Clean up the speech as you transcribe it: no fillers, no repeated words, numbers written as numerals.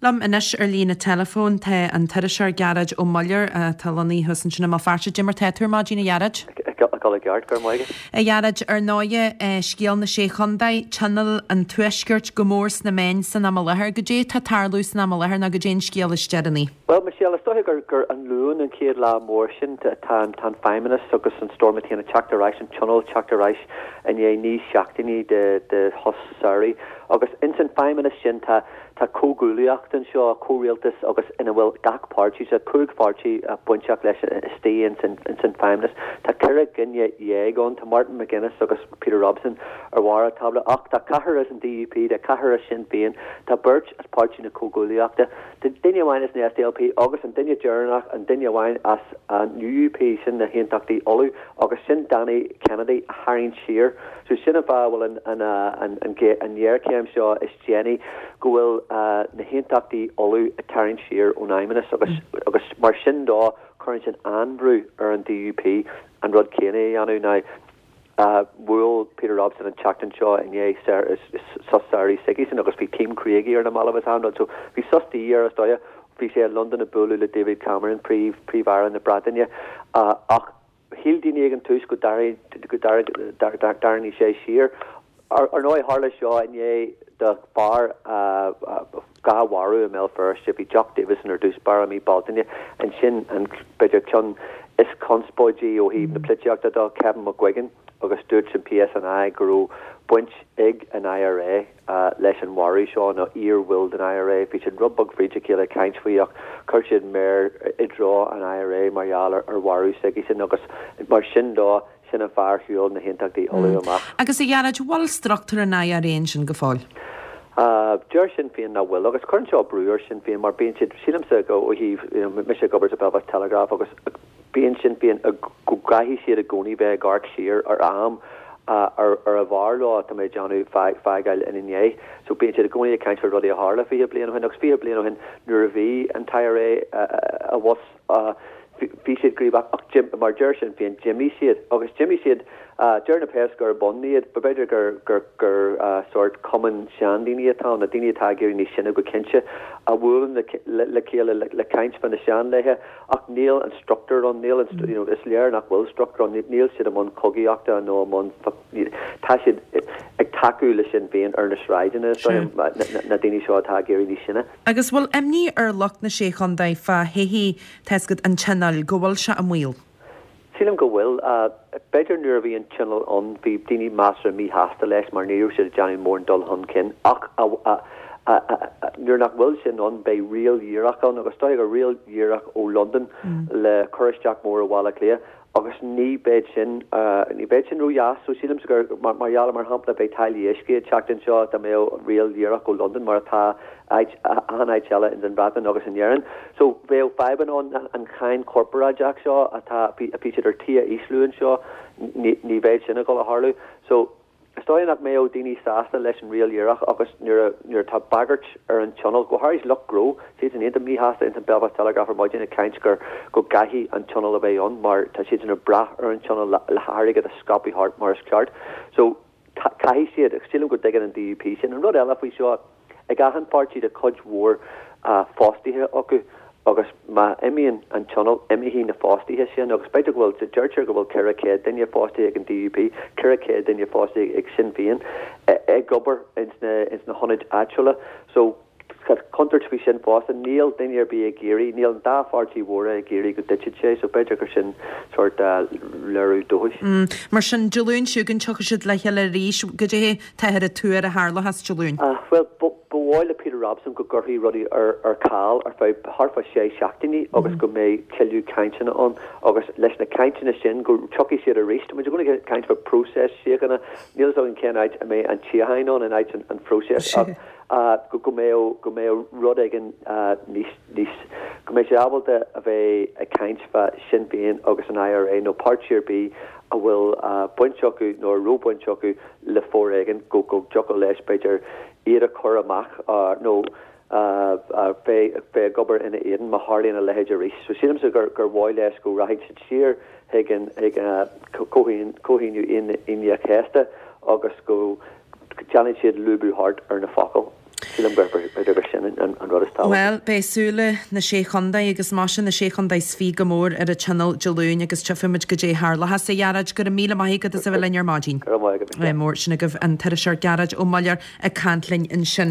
Liom anois ar líne teileafóin tá an t-iriseoir Gearóid Ó Muilleoir atá lonnaithe thuas ansin i mBéal Feirste. Cad é mar tá tú ar maidin, a Ghearóid? Ag dul i gceart, go raibh maith agat. A Ghearóid, ar ndóighe, scéal na Sé Chontae, Tionól an Tuaiscirt go mór sna meáin san am i láthair. Goidé atá ag tarlú san am i láthair nó goidé an scéal is deireanaí? Bhuel, Michelle, is dóiche gur gur an Luan an chéad lá mór sin. Tá an tá an Feidhmeannas agus an Stormont féin ag teacht ar ais, an Tionól ag teacht ar ais i ndiaidh 9 seachtainí de de shos samhraidh. Agus ins an Feidhmeannas sin tá Tá comhghuaillíocht anseo, comhrialtas agus ina bhfuil gach páirtí, tá 5 pháirtí bainteach leis istigh ins an Feidhmeannas. Tá 14 dhuine ann, tá Martin McGuinness agus Peter Robinson ar bharr an tábla ach tá ceathrar as an DUP, tá ceathrar as Sinn Féin, tá beirt as Páirtí na Comhghuaillíochta, tá duine amháin as an SDLP agus an duine deireanach, an duine amháin as an UUP, sin na hAontachtaí Uladh agus sin Danny Kennedy a tharraing siar. So sin an fáth a bhfuil an ghéarchéim seo is déanaí go bhfuil na hAontachtaí Uladh ag tarraingt siar ón Fheidhmeannas agus agus mar sin dó cuireann sin an-bhrú ar an DUP an rud céanna a dhéanamh. Now bhuail Peter Robinson an tseachtain seo i ndiaidh sos samhraidh s'aigesean agus bhí team croí air na mallaibh is achan rud so bhí sos de dhíth air is dóiche. Bhí sé i Londain ag bualadh le David Cameron, Príomh Príomh-Aire na Breataine ach Shíl daoine ag an tús go dtarraingeodh sé siar. Ar ndóigh, tharla seo i ndiaidh do fear 2 mharú i mBéal Feirste. Bhí Jock Davison ar dtús báire i mí Bealtaine. Ansin, an, b'fhéidir, ceann is conspóidí ó thaobh na polaitíochta de, Kevin McGuigan, agus dúirt an PSNI go raibh baint ag an IRA. leis an mharú seo, nó iar-bhaill den IRA. Bhí siad rud beag fríd a chéile ag caint faoi ach chuir siad méar i dtreo an IRA mar gheall ar mharú s'aigesean agus mar sin dó, sin an fáth ar shiúil na hAontachtaí Uladh amach. Agus a Ghearóid, bhfuil struchtúr an IRA ansin go fóill? Deir Sinn Féin nach bhfuil agus cuireann seo brú ar Sinn Féin mar bíonn siad, sílimse ó thaobh, you know, mise ag obair sa Belfast Telegraph agus, Bíonn Sinn Féin go gcaithfidh siad i gcónaí bheith ag amharc siar ar am ar ar bhfearr leo, tá mé ag déanamh, fágáil ina ndiaidh. So bíonn siad i gcónaí ag caint faoi rudaí a tharla 20 bliain ó shin agus 20 bliain ó shin nuair a bhí an t-IRA abhus bhí siad gníomhach ach mar deir Sinn Féin d'imigh siad agus d'imigh siad deir na péas gurb ann iad b'fhéidir gur gur gur sórt cumann seandaoine atá ann, na daoine atá ag éirí níos sine go cinnte a bhuaileann le le chéile le caint fá na seanlaethe. Ach níl an struchtúr ann, níl an, you know, is léir nach bhfuil struchtúr ann, níl siad i mbun cogaíochta nó i mbun, tá siad ag tacú le Sinn Féin ar na sráideanna, is dóigh liom, na daoine seo atá ag éirí níos sine. Agus bhfuil imní ar lucht na Sé Chontae fá thodhchaí, tá a fhios agat, an Tionóil, go bhfuil sé i mbaol? Sílim go bhfuil. B'fhéidir nuair a bhí an Tionól ann bhí daoine measartha míshásta leis mar ní raibh siad ag déanamh mórán dul chun cinn ach nuair nach bhfuil sin ann beidh riail dhíreach ann agus is dóigh gur riail dhíreach ó Londain le cur isteach mór ó Bhaile Átha Cliath agus ní bheidh sin ní bheidh sin ródheas. So sílimse gur mar gheall mar shampla beidh táillí uisce ag teacht anseo dá mbeadh riail dhíreach ó Londain mar atá áit, achan áit eile ins an Bhreatain agus in Éirinn. So bheadh fadhbanna ann, an cháin chorparáideach seo atá, bhí siad ar tí a ísliú anseo, ní, ní bheidh sin ag dul a tharlú. So is dóigh nach mbeadh daoine sásta leis an riail dhíreach agus nuair a, nuair atá bagairt ar an Tionól, go háirid lucht gnó, siadsan iontach míshásta ins an Belfast Telegraph ar maidin ag caint gur, go gcaithfidh an Tionól a bheith ann mar tá siadsan ag brath ar an Tionól le, le hairgead a scaipeadh thart mar is ceart. So caithfidh siad, agus sílim go dtuigeann an DUP sin. An rud eile faoi seo, ag achan pháirtí tá cuid mhór fostaithe acu agus má imíonn an Tionól, imeoidh na fostaithe sin agus b'fhéidir go bhfuil, deirtear go bhfuil 400 duine fostaithe ag an DUP, 400 duine fostaithe ag Sinn Féin ag obair ins na hionaid áitiúla. So. Tá contúirt faoi sin fosta. Níl duine ar bith ag iarraidh, níl an dá pháirtí mhóra ag iarraidh go dtitfeadh sé, so b'fhéidir gur sin sórt léiriú dóchais. Mar sin, Dé Luain seo chugainn, tiocfaidh siad le chéile arís. Goidé táthar ag tuar a tharlóchas Dé Luain? Bhuel, ba mhaith le Peter Robinson go gcuirfí rudaí ar ceal ar feadh thart fá sé seachtainí agus go mbeidh tuilleadh cainteanna ann agus leis na cainteanna sin go dtiocfaidh siad arís. Tá muid i gcónaí ag caint fá phróiseas síochána, níl a fhios againn cén áit a mbeidh an tsíocháin ann in áit an phróiseas ach go mbeadh, go mbeadh rud éigin níos, níos, go mbeidh siad ábalta a bheith ag caint fá Sinn Féin agus an IRA nó páirtí ar bith a bhfuil baint acu nó a raibh baint acu le foréigean, go, go dtiocfadh leis b'fhéidir iad a chur amach nó bheith, bheith ag obair ina éadan má tharlaíonn a leithéid arís. So sílimse gur, gur mhaith leis go rachaidh siad siar chuig an, chuig Comhaontú Aoine an Chéasta agus go. Déanfaidh siad lúbadh thart ar na focail. Sílim gur b'fhéidir gur sin an rud is tábhachtaí. Bhuel, beidh súile na Sé Chontae agus maise na Sé Chontae is fiche go mór ar an Tionól Dé Luain agus tchífimid goidé a tharlóchas. A Ghearóid, go raibh míle maith agat as a bheith linn ar maidin. Go raibh maith agat, Michelle. Mór sin agaibh an t-iriseoir Gearóid Ó Muilleoir ag caint linn ansin.